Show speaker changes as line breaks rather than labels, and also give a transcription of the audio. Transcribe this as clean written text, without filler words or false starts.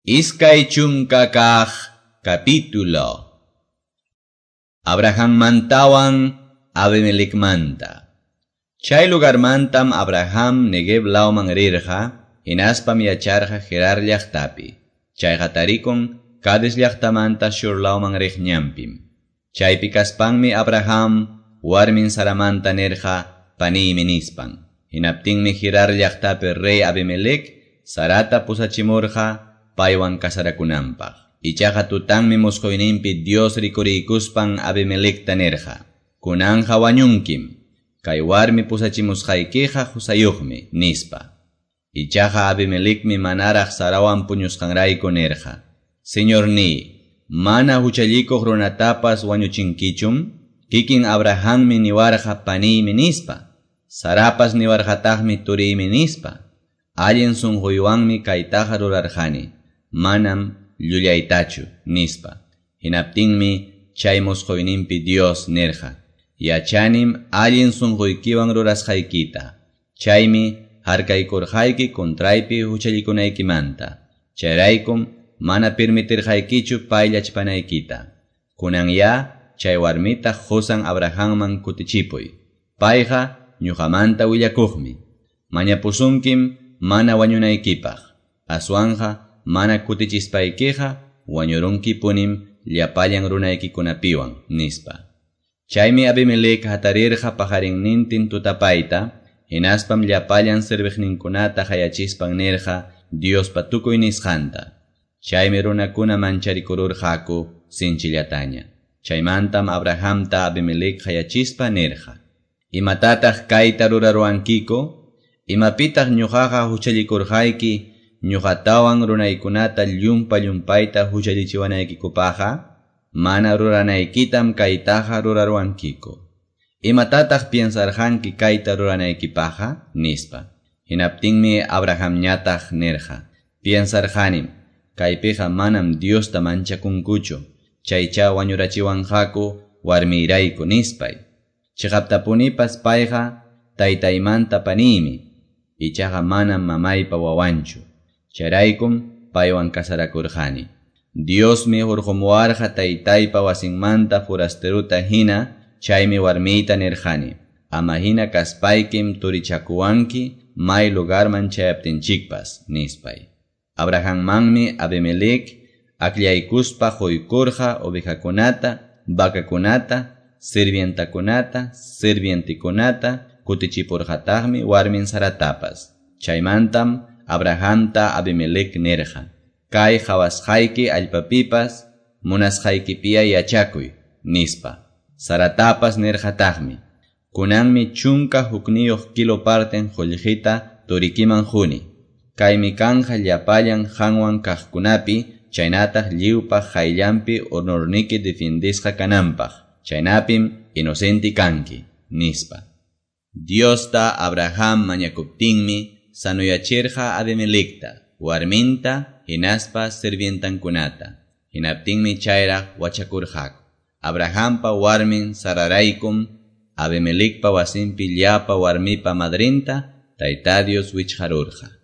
20 capítulo. Abrahammantawan Abimelecmanta. Chay lugarmantam Abraham Negev lawman rirqa, hinaspam yacharqa Gerar llaqtapi. Chayqa tarikun Cades llaqtamanta Shur lawman riq ñanpim. Chaypi kaspanmi Abraham warmin Saramanta nirqa paniymi nispan. Hinaptinmi Gerar llaqtapi rey Abimelec Sarata pusachimurqa paywan casarakunanpaq. Ichaqa tutanmi musquyninpi Dios rikuriykuspan Abimelecta nirqa: Kunanja wañunkim, kay warmi pusachimusqaykiqa husayuqmi, nispa. Ichaqa Abimelecmi manaraq Sarawan puñusqanrayku nirqa: Señorniy, mana huchallikuq runatapas wañuchinkichum? Kikin Abrahammi niwarqa paniymi nispa. Sarapas niwarqataqmi turiymi nispa. Allin sunquywanmi kaytaqa rurarqani, manam llullaytachu, nispa. Hinaptinmi chay musquyninpi Dios nirqa: Yachanim allin sunquykiwan rurasqaykita. Chaymi harkaykurqayki contraypi huchallikunaykimanta. Chayraykum mana permitirqaykichu payllachpanaykita. Kunanya chay warmita qusan Abrahamman kutichipuy. Payqa ñuqamanta willakuqmi. Mañapusunkim mana wañunaykipaq. Aswanja mana kutichispaykiqa wañurunkipunim llapallan runaykikunapiwan, nispa. Chaymi Abimelec hatarirqa pajarinnintin tutapayta, hinaspam llapallan serviqninkunata hayachispan nirqa Diospa tukuy nisqanta. Chaymi runakuna mancharikururqaku sinchillataña. Chaymantam Abrahamta Abimelec hayachispa nirqa: Imatataq kayta ruraruwankiku? Imapitaq ñuqaqa huchallikurqayki ñuqatawan runaykunata llumpa llumpayta huchallichiwanaykikupaqqa? Mana ruranaykitam kaytaqa ruraruwankiku. Imatataq piensarqanki kayta ruranaykipaqqa? Nispa. Hinaptinmi Abrahamñataq nirqa: Piensarqanim, kaypiqa manam Diosta manchakunkuchu, chaycha wañurachiwanqaku warmiyrayku, nispay. Chiqaptapunipas payqa taytaymanta paniymi, ichaqa manam mamaypa wawanchu. Chayraykum paywan casarakurqani. Diosmi hurqumuwarqa taytaypa wasinmanta forasteruta hina, chaymi warmiyta nirqani: Ama hina kaspaykim turichakuwanki may lugarman chayaptinchikpas, nispay. Abrahammanmi Abimelec akllaykuspa quykurqa ovejakunata, vacakunata, sirvientakunata, sirvientikunata, kutichipurqataqmi warmin Saratapas. Chaymantam Abrahamta Abimelec nirqa: Kay qhawasqayki allpapipas munasqaykipiya yachakuy, nispa. Saratapas nirqataqmi: Kunanmi 11 kilo parten qullqita turikiman quni. Kaymi kanja llapallan qanwan kaqkunapi, chaynataq lliwpaq qayllanpi honorniki defendisqa kananpaq. Chaynapim inocente kanki, nispa. Diosta Abraham mañakuptinmi sanuyachirqa Abimelecta, warminta, hinaspa sirvientankunata. Hinaptinmi chayraq wachakurqaku. Abrahampa warmin Sararaykum Abimelecpa wasinpi llapa warmipa madrinta Tayta Dios wichqarurqa.